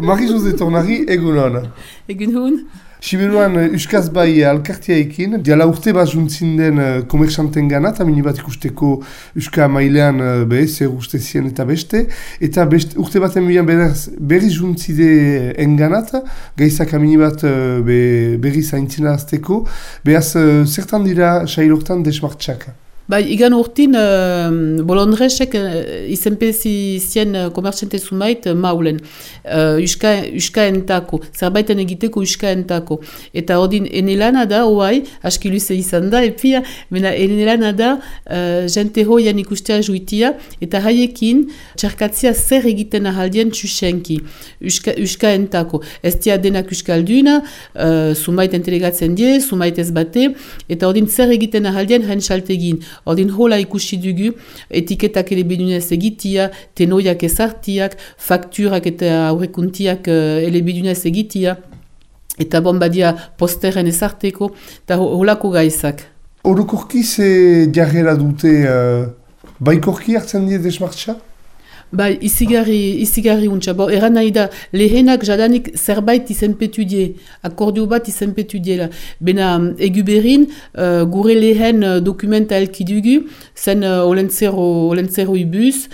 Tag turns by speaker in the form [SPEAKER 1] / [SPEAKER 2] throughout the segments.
[SPEAKER 1] Marie-Jose Tornari, egun hona.
[SPEAKER 2] Egun hon.
[SPEAKER 1] Siberuan Euskaz bai alkartiaekin, diala urte bat juntzin den komerxanten gana, eta mini bat ikusteko Euska mailean zer uste zien eta beste. Eta urte baten berri juntzide enganat, gaizak amini bat berri zaintzina azteko, behaz zertan dira sailortan desmartxak.
[SPEAKER 2] Bai, igan urtin, bolondresek izenpezi zien komertxente zumait maulen. Euska entako, zerbaiten egiteko Euska entako. Eta ordin enelana da, oai, aski luze izan da, epia, mena enelana da, jente hoian ikustea juitia, eta haiekin txarkatzia zer egiten ahaldien txusenki, Euska entako. Ez dia denak Euskalduna, zumait entelegatzen die, zumait ez bate, eta ordin zer egiten ahaldien hain saltegin. Ordin hola ikusi dugu, etiketak elebidunez egitia, tenoiak ezartiak, fakturak eta aurrekuntiak elebidunez egitia, eta bombadia posteren ezarteko, eta holako gaizak.
[SPEAKER 1] Orokorki ze jarrera dute baikorki hartzen die desmartxa?
[SPEAKER 2] Bai, izigarri untsa. Eran nahi da, lehenak jadanik zerbait izenpetu die, akordio bat izenpetu diela. Bena eguberin, gure lehen dokumenta elkidugu, zen olentzero ibuz,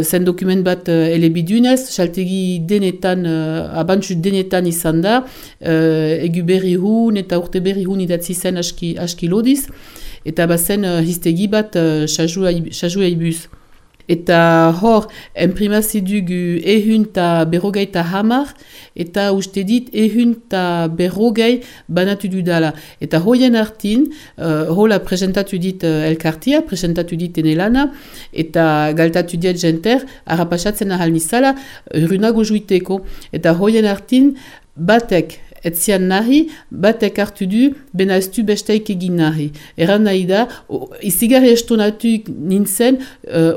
[SPEAKER 2] zen dokument bat elebidunez, saltegi denetan, abantzu denetan izan da, eguberri hun eta urte berri hun idatzi zen aski lodiz, eta bazen hiztegi bat sajua ibuz. Eta hor, enprimazi dugu ehun eta berrogei eta hamar, eta uste dit ehun eta berrogei banatu dudala. Eta hoien artin, hola presentatu dit elkartia, presentatu dit enelana, eta galtatu dit jenter, harrapasatzen ahal nizala, runago juiteko. Eta hoien artin, batek, etzian nahi, batek hartu du, bena ez du besteik egin nahi. Eran nahi da, izigarri estonatuik nintzen,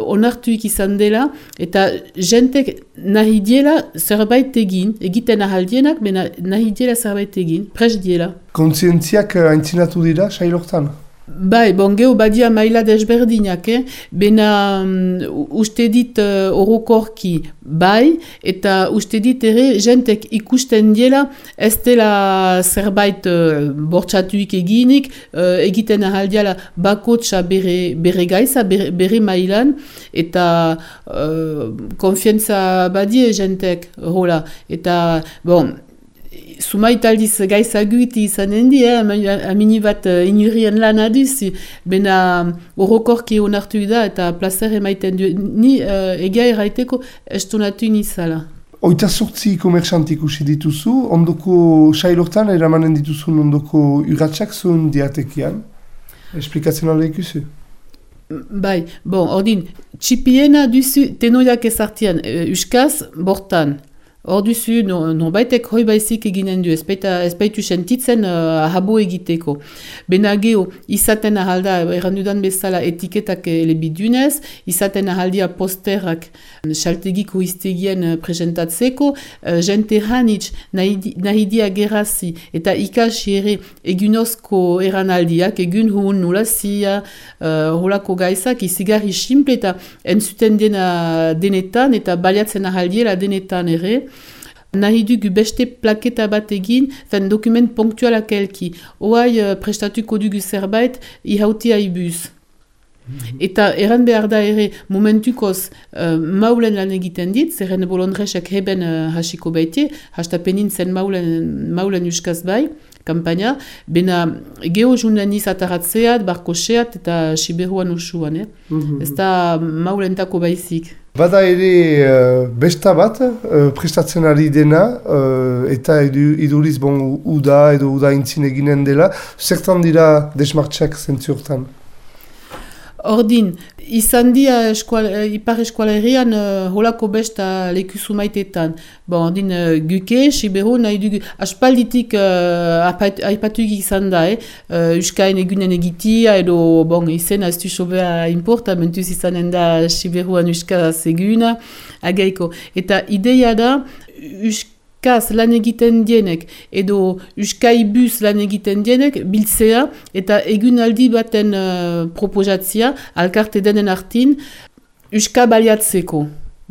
[SPEAKER 2] onartuik izan dela, eta jentek nahi diela zerbait egin, egiten ahaldienak, bena nahi diela zerbait egin, pres diela.
[SPEAKER 1] Kontzientziak aintzinatu dira, sailortan?
[SPEAKER 2] Bai, geho badia maila desberdinak, bena uste dit orokorki bai, eta uste dit ere jentek ikusten diela ez dela zerbait bortxatuik eginik, egiten ahaldiala bakotxa bere gaiza, bere mailan, eta konfientza badie jentek, hola, eta Sumait aldiz gaizaguiti izanen di, amini bat inurien lan aduz, bena orokorki onartu da eta plazer emaiten du. Ni egia erraiteko estonatu nizala.
[SPEAKER 1] Oita sortzi komerxantik usi dituzu, ondoko sailortan eramanen dituzun ondoko urratxak zuen diatekian. Esplikatzen alde ikusi?
[SPEAKER 2] Bai, ordin, txipiena duzu tenoiak ezartian, Euskaz, bortan. Hor duzu, baitek hoi baizik eginen du, ez baitu sentitzen habo egiteko. Bena geho, izaten ahalda, errandudan bezala etiketak elebidunez, izaten ahaldia posterak saltegiko iztegien presentatzeko, jente hanitz nahi dia gerazi, eta ikasi ere egunozko eranaldiak, egun hun nulazia, holako gaizak, izigarri simple eta entzuten dena denetan, eta baliatzen ahaldiela denetan ere, nahi dugu beste plaketa bat egin, dokument punktualak elki. Oai prestatuko dugu zerbait, ihautia ibuz. Eta eran behar da ere momentukoz maulen lan egiten dit, zerren bolondresek heben hasiko baitie, hastapenin zen maulen Euskaz bai, kampaina, bena geho junden izataratzeat, barkoseat eta siberuan usuan. Ez da maulentako baizik.
[SPEAKER 1] Bada ere besta bat, prestatzen ari dena, eta iduriz uda edo uda intzin eginen dela, zertan dira desmartxak zentziortan?
[SPEAKER 2] Ordin, izan dia ipar eskualerian holako besta lekuzu maitetan. Ordin, guke, siberu, nahi dugu, aspalditik aipatuik izan da, Euskain egunen egitia, edo, izena ez du sobea importa, mentuz izanen da siberuan Euskaz eguna, agaiko. Eta ideia da, Euskaz lan egiten dienek, edo Euskaibuz lan egiten dienek, biltzea, eta egunaldi baten proposatzia, alkarte denen artin, Euska baliatzeko.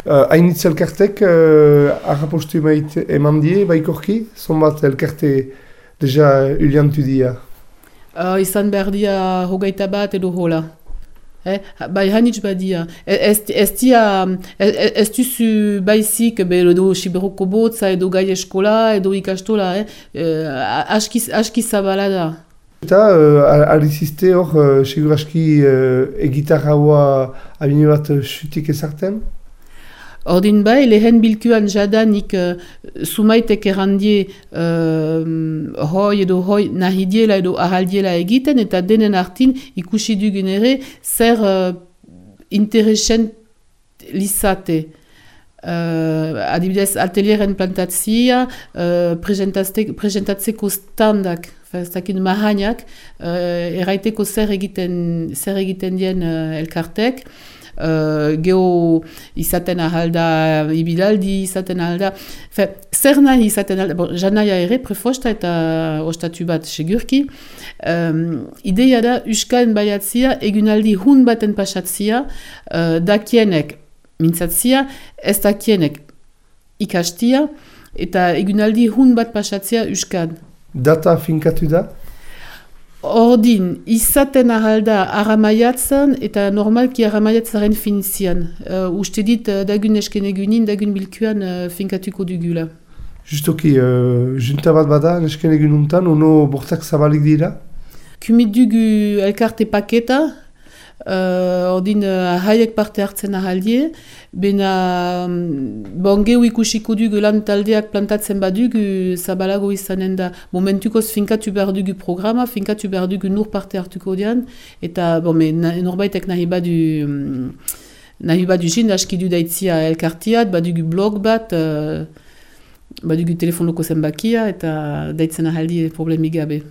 [SPEAKER 1] Hainitz elkartek harrapostu eman die, baikorki? Zonbat elkarte deja uliantu dia?
[SPEAKER 2] Izan behar dia hogeita bat edo hola. Bai hanitz badia. Ez duzu baizik edo Siberoko botza edo gai eskola edo ikastola. Aski zabala da.
[SPEAKER 1] Eta alizizte hor seguraski egitarra hoa abine bat xutik ezarten?
[SPEAKER 2] Ordin bai, lehen bilkuan jadanik sumaitek errandie hoi edo hoi nahidiela edo ahaldiela egiten, eta denen artin ikusi dugun ere zer interesen lizate. Adibidez, atelieren plantatzia, presentatzeko standak, ez dakit mahainak, erraiteko zer egiten dien elkartek, geho izaten ahalda ibilaldi, izaten ahalda, zer nahi izaten ahalda, janaia ere prefosta eta ostatu bat segurki. Ideia da, uskaen baiatzia, egunaldi hun baten pasatzia, dakienek mintzatzia, ez dakienek ikastia, eta egunaldi hun bat pasatzia uskan.
[SPEAKER 1] Data finkatu da?
[SPEAKER 2] Ordin, izaten ahalda aramaiatzen eta normalki aramaiatzaren finzian. Uste dit dagun esken egunin, dagun bilkuan finkatuko dugula.
[SPEAKER 1] Justoki, junta bat bada esken egununtan, ono bortak zabalik dira?
[SPEAKER 2] Kumit dugu elkarte paketa, ordin haiek parte hartzen ahaldie, bena geu ikusiko dugu lan taldeak plantatzen badugu zabalago izanen da. Momentukoz finkatu behar dugu programa, finkatu behar dugu nur parte hartuko dian, eta norbaitek nahi badu jin aski du daitzia elkartiat, badugu blog bat, badugu telefon loko zenbakia, eta daitzen ahaldie problemik gabe.